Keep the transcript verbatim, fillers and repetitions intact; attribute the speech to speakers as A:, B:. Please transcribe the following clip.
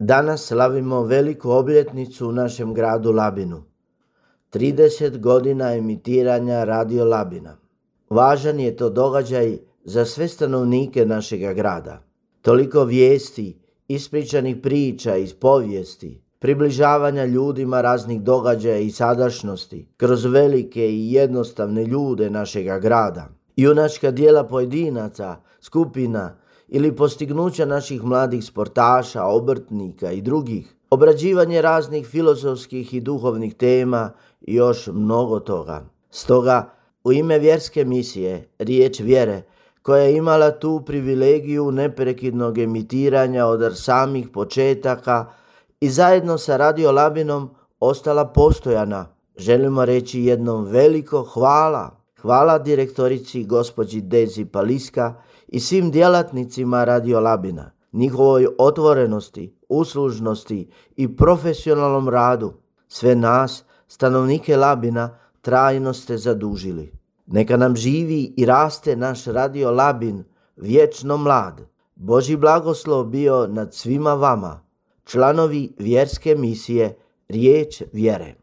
A: Danas slavimo veliku obljetnicu u našem gradu Labinu. trideset godina emitiranja Radio Labina. Važan je to događaj za sve stanovnike našega grada. Toliko vijesti, ispričanih priča iz povijesti, približavanja ljudima raznih događaja i sadašnjosti kroz velike i jednostavne ljude našega grada. Junačka djela pojedinaca, skupina ili postignuća naših mladih sportaša, obrtnika i drugih, obrađivanje raznih filozofskih i duhovnih tema i još mnogo toga. Stoga, u ime vjerske misije, Riječ vjere, koja je imala tu privilegiju neprekidnog emitiranja od samih početaka i zajedno sa Radio Labinom ostala postojana, želimo reći jednom veliko hvala. Hvala direktorici gospođi Dezi Paliska i svim djelatnicima Radio Labina, njihovoj otvorenosti, uslužnosti i profesionalnom radu. Sve nas, stanovnike Labina, trajno ste zadužili. Neka nam živi i raste naš Radio Labin, vječno mlad. Božji blagoslov bio nad svima vama, članovi vjerske misije Riječ vjere.